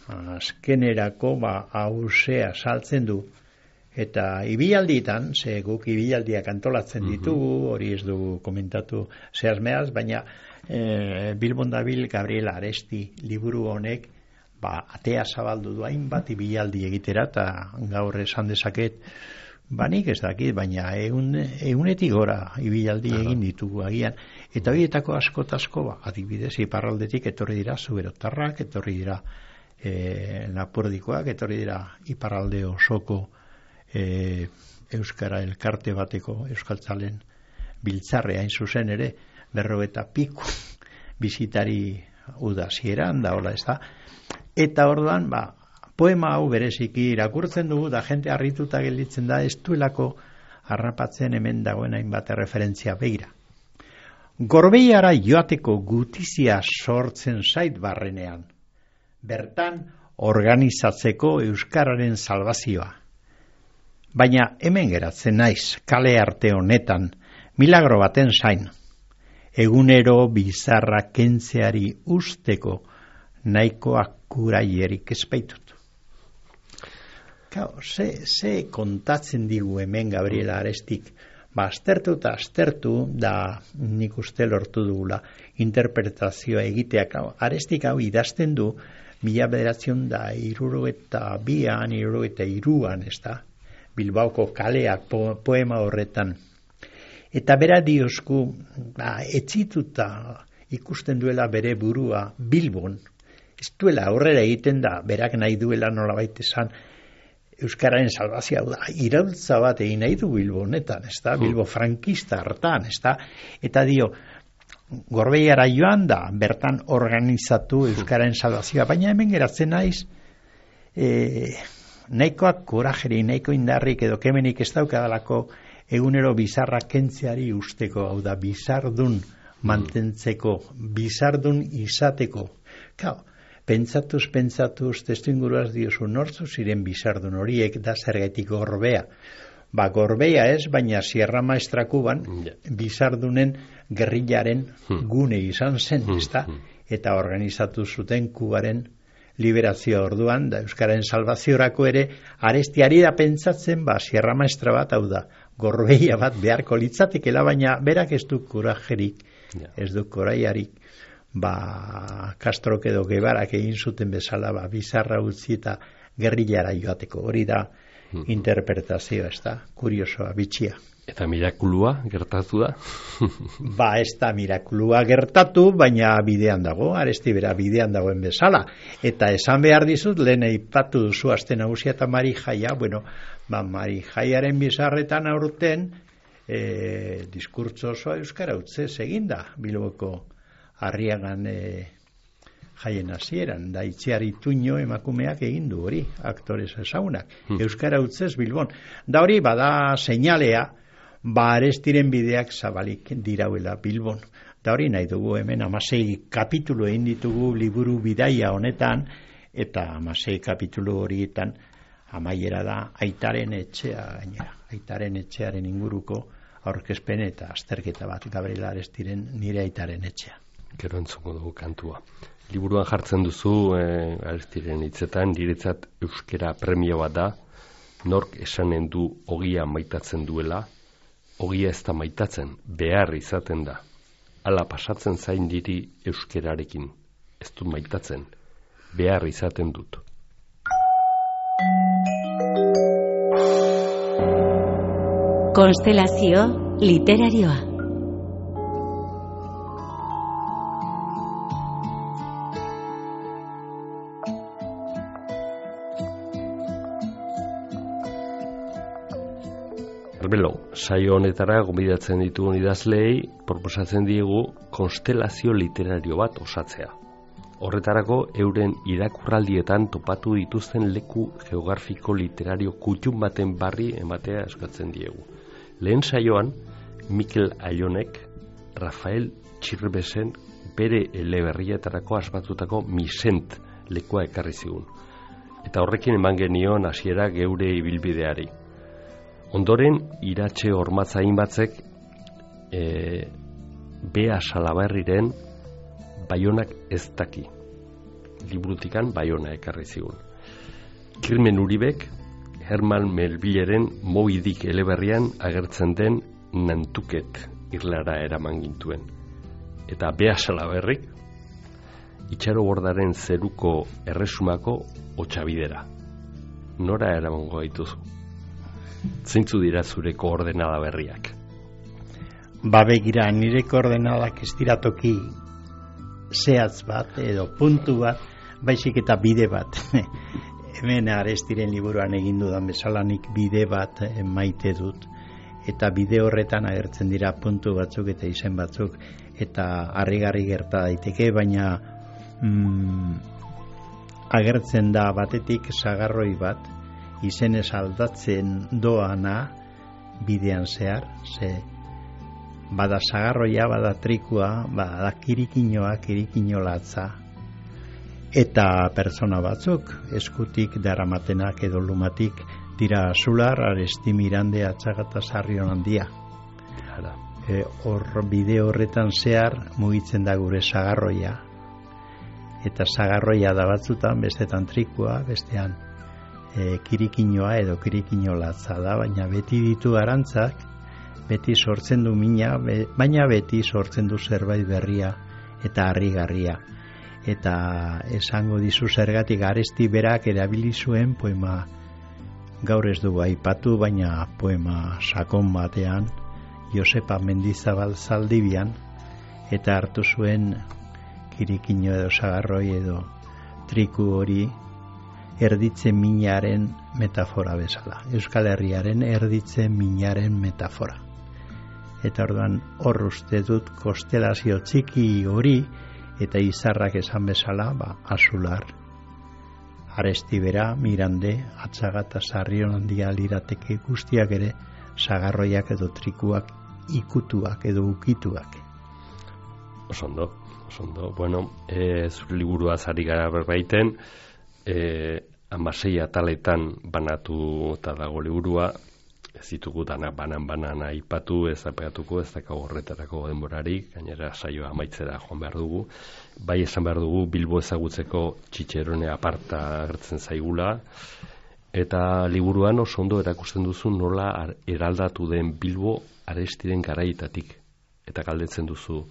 azkenerako hausea saltzen du, eta ibilalditan, ze guk ibilaldiak antolatzen ditugu, hori ez dugu komentatu zehazmeaz, baina Bilbon dabil Gabriel Aresti liburu honek atea zabaldu du hainbat ibilaldi egitera, eta gaur esan dezaket, nik ez dakit, baina egunetik gora ibilaldi egin ditugu agian, eta horietako asko, adibidez iparraldetik etorri dira zuberotarrak, etorri dira lapurdikoak, etorri dira iparralde osoko euskara elkarte bateko euskaltzalen biltzarre hain zuzen ere 40 piku bizitari udazieran da, hola ez da. Eta orduan, poema hau bereziki irakurtzen dugu, da jente harrituta gelditzen da, ez duelako harrapatzen hemen dagoen hainbat referentzia begira. Gorbeiara joateko gutizia sortzen zait barrenean, bertan organizatzeko euskararen salbazioa. Baina hemen geratzen naiz, kale arte honetan, milagro baten zain, egunero bizarra kentzeari usteko nahikoak kuraierik espaitut. Ze kontatzen digu hemen Gabriela Arestik, aztertu eta aztertu, da nik uste lortu dugula interpretazioa egiteak. Arestik hau idazten du 1972an, 1973an, ez da, Bilbaoko kaleak poema horretan. Eta bera diosku, etzituta ikusten duela bere burua Bilbon, ez duela aurrera egiten da, berak nahi duela nolabait esan, euskararen salbazioa da, iraultza bat egin nahi du Bilbo honetan, ez da, Bilbo frankista hartan, ez da, eta dio, Gorbeiara joan da, bertan organizatu euskararen salbazioa, baina hemen geratzen naiz, nahikoak korajeri, nahiko indarrik edo kemenik ez daukadalako egunero bizarra kentzeari usteko, hau da, bizardun mantentzeko, bizardun izateko. Pentsatuz, testu inguruaz diozu, nortzu ziren bizardun horiek da zergatik Gorbea. Gorbea ez, baina Sierra Maestra Kuban bizardunen gerrilaren gune izan zen, ezta? Eta organizatu zuten Kubaren liberazioa orduan, da euskararen salvaziorako ere, Arestiari da pentsatzen, Sierra Maestra bat, hau da, Gorbea bat beharko litzatekela, baina berak ez du kurajerik, ez du koraiarik, Castrok edo Guevarak egin zuten bezala, bizarra utzi eta gerrillara joateko. Hori da interpretazioa, ez da, kuriosoa, bitxia. Eta mirakulua gertatu da? Ez da mirakulua gertatu, baina bidean dago, Aresti bera bidean dagoen bezala. Eta esan behar dizut, lehen aipatu duzu aste nagusia eta Mari Jaia, Mari Jaiaren bizarretan aurten diskurtso osoa euskara utzez eginda, Bilboko Arriagan jaien hasieran, da Itziar Ituño emakumeak egin du hori, aktorez ezagunak, euskara utzez Bilbon. Da hori bada seinalea, Arestiren bideak zabalik dirauela Bilbon. Da hori nahi dugu hemen 16 kapitulu egin ditugu liburu bidaia honetan, eta 16 kapitulu horietan amaiera da aitaren etxea gainera. Aitaren etxearen inguruko aurkezpen eta azterketa bat Gabriel Arestiren nire aitaren etxea. Gero entzuko dugu kantua. Liburuan jartzen duzu Arestiren hitzetan, niretzat euskera premio bat da, nork esanen du ogia maitatzen duela, ogia ez da maitatzen, behar izaten da. Hala pasatzen zain diri euskerarekin, ez dut maitatzen, behar izaten dut. Konstelazio literarioa. Arbelo, saio honetara gonbidatzen ditugun idazleei proposatzen diegu konstelazio literario bat osatzea. Horretarako euren irakurraldietan topatu dituzten leku geografiko literario kutxun baten barri ematea eskatzen diegu. Lehen saioan, Mikel Aionek, Rafael Txirbesen bere eleberrietarako asmatutako Misent lekua ekarri zigun. Eta horrekin eman genion hasiera geure ibilbideari. Ondoren, Iratxe Ormatzain batzek Bea Salaberriren Baionak ez daki. Liburutikan Baiona ekarri zigun. Kirmen Uribek Herman Melvilleren Moby Dick eleberrian agertzen den Nantuket irlara eraman gintuen. Eta Bea Salaberrik Itxaro Bordaren zeruko erresumako Otsabidera. Nora eramango gaituzu? Zeintzu dira zure koordenada berriak? Begira, nire koordenadak ez dira toki zehatz bat edo puntu bat, baizik eta bide bat. Hemen Arestiren liburuan egin dudan bezala nik bide bat maite dut. Eta bide horretan agertzen dira puntu batzuk eta izen batzuk, eta harrigarri gerta daiteke, baina agertzen da batetik sagarroi bat, izenez aldatzen doana bidean zehar, ze bada sagarroia, bada trikua, bada kirikinoa, kirikinolatza, eta pertsona batzuk eskutik daramatenak edo lumatik dira Azular, Aresti, Mirande, Atxagata, Sarrion handia. Hor bide horretan zehar mugitzen da gure sagarroia, eta sagarroia da batzutan, bestetan trikua, bestean kirikinoa edo kirikinolatza da, baina beti ditu arantzak, beti sortzen du mina, baina beti sortzen du zerbait berria eta harrigarria. Eta esango dizu zergatik Aresti berak erabili zuen poema, gaur ez dugu aipatu, baina poema sakon batean, Josepa Mendizabal Zaldibian, eta hartu zuen kirikino edo sagarroi edo triku hori erditze minaren metafora bezala. Euskal Herriaren erditze minaren metafora. Eta orduan hor uste dut konstelazio txiki hori eta izarrak esan bezala, Azular, Aresti bera, Mirande, Atxagata, Sarrion handia lirateke guztiak ere sagarroiak edo trikuak, ikutuak edo ukituak. Osondo. Bueno, zure liburua zari gara berbaiten, 16 ataletan banatu eta dago liburua, ez ditugu danak banan aipatu, ez apegatuko, ez dakago horretarako denborarik, gainera saioa amaitzera joan behar dugu. Bai esan behar dugu Bilbo ezagutzeko Txitxerone aparta agertzen zaigula, eta liburuan oso ondo erakusten duzu nola eraldatu den Bilbo Arestiren garaietatik, eta galdetzen duzu,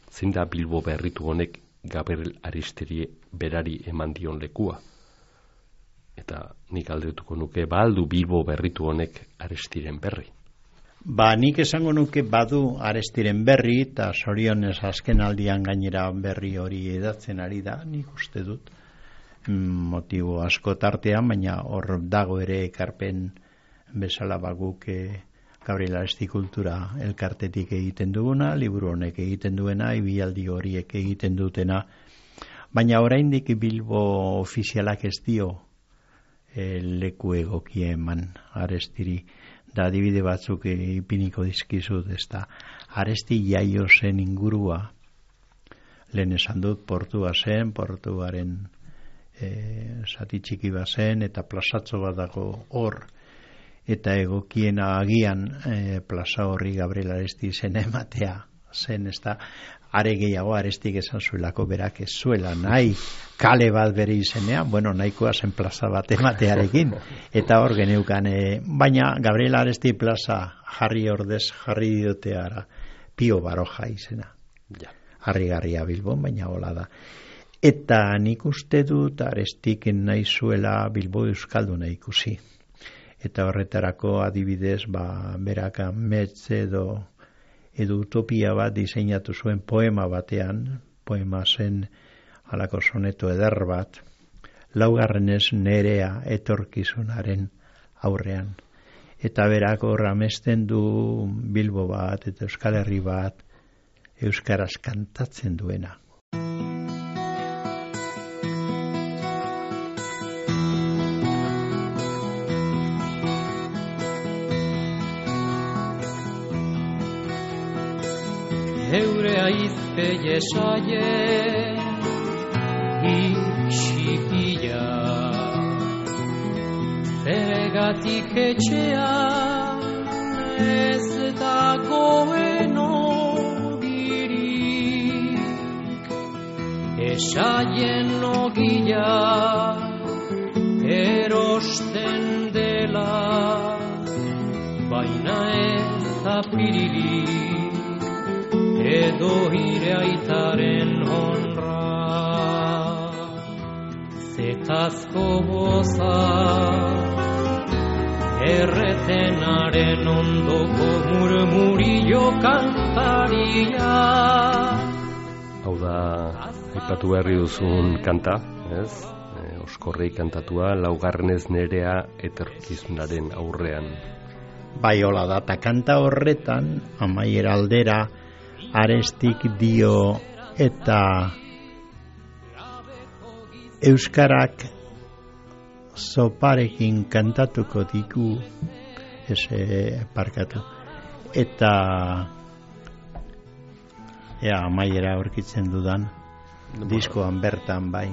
zein da Bilbo berritu honek Gabriel Aristiri berari eman dion lekua? Eta nik galdetuko nuke, aldu Bilbo berritu honek Arestiren berri? Nik esango nuke badu Arestiren berri, eta zorionez azken aldian gainera berri hori edatzen ari da, nik uste dut, motibo asko tartean, baina hor dago ere ekarpen bezala guk Gabriel Aresti kultura elkartetik egiten duguna, liburu honek egiten duena, ibialdi horiek egiten dutena, baina oraindik Bilbo ofizialak ez dio leku egokia eman Arestiri, da adibide batzuk ipiniko dizkizut, ez da Aresti jaio zen ingurua, lehen esan dut portua zen, portuaren zati txiki bat zen, eta plazatxo bat dago hor, eta egokiena agian plaza horri Gabriel Aresti izena ematea zen, ez da, are gehiago Arestik esan zuelako berak ez zuela nahi kale bat bere izenean, bueno, nahikoa zen plaza bat ematearekin, eta hor geneukan, baina Gabriel Aresti plaza jarri dioteara Pio Baroja izena. Harrigarria Bilbon, baina hola da. Eta nik uste dut Arestik nahi zuela Bilbo euskalduna ikusi. Eta horretarako adibidez, berak amets edo utopia bat diseinatu zuen poema batean, poema zen halako soneto eder bat, laugarrenez nerea etorkizunaren aurrean. Eta berak hor amesten du Bilbo bat eta Euskal Herri bat euskaraz kantatzen duena. Eure aizpe jesaie ikxipia Zergatik etxean ez dagoen ogirik Esaien ogia erosten dela Baina ez apiririk edo ire aitaren honra Zetazko boza erretenaren ondoko murmurillo kantaria Hau da, aipatu berri duzun kanta, ez? Oskorrei kantatua, laugarrenez nerea etorkizunaren aurrean. Bai, hola da, eta kanta horretan, amaiera aldera, Arestik dio eta euskarak zoparekin kantatuko diku parkatu eta amaiera aurkitzen dudan diskoan bertan bai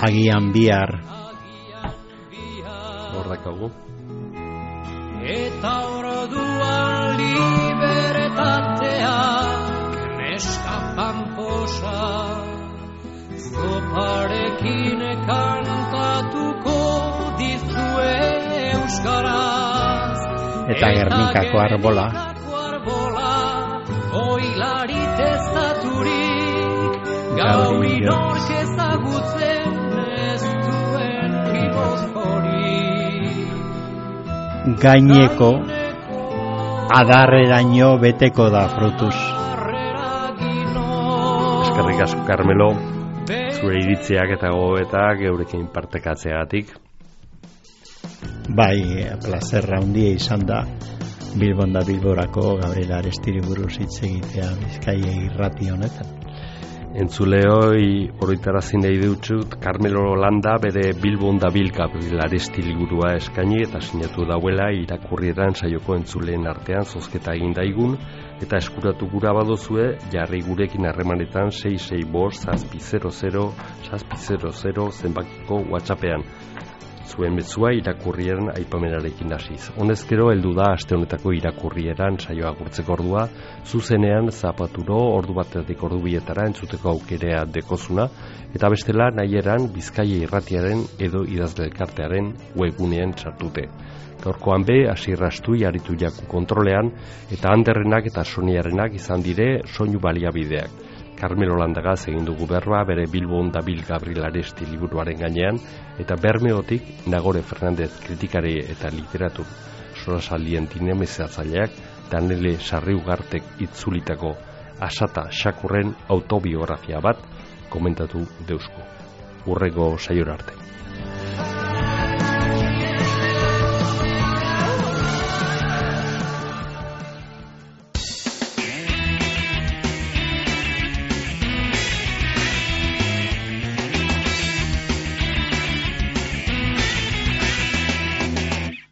agian bihar horrekago eta orduan libertateak neska pamposa zoparekin kantatuko dizue euskaraz eta Gernikako arbola oilari testaturik gaur inork ezagutzen ez duen gipuzkorik gaineko adarreraino beteko da frutuz. Eskerrik asko Carmelo, zure iritziak eta gogoetak eurekin partekatzeagatik. Bai, plazerra handia izan da Bilbon da Bilborako Gabriel Arestiri buruz hitz egitea Bizkaia irrati honetan. Entzuleoi oroitarazi nahi dutxut, Carmelo Landa bere Bilbon da Bil Gabriel Aresti liburua eskaini eta sinatu dauela irakurrieran saioko entzuleen artean zozketa egin daigun eta eskuratu gura badozue jarri gurekin harremanetan 665-600-600 zenbakiko WhatsAppean. Zuen mezzua irakurrieran aipamenarekin hasiz. Honezkero heldu da aste honetako irakurrieran saioa agurtzeko ordua, zuzenean zapaturo ordu batetik ordu bietara entzuteko aukerea dekozuna, eta bestela nahieran Bizkaia irratiaren edo idazle elkartearen webgunean sartute. Gaurkoan be, asirrastui aritu jaku kontrolean, eta Anderrenak eta Soniarenak izan dire soinu baliabideak. Carmelo Landagaz egin dugu berba bere Bilbon da Bil Gabriel Aresti liburuaren gainean, eta Bermeotik Nagore Fernandez kritikari eta literatur sorasaldien dinamizatzaileak Danele Sarriugartek itzulitako Asata Xakurren autobiografia bat komentatu deusku. Hurrengo saiora arte.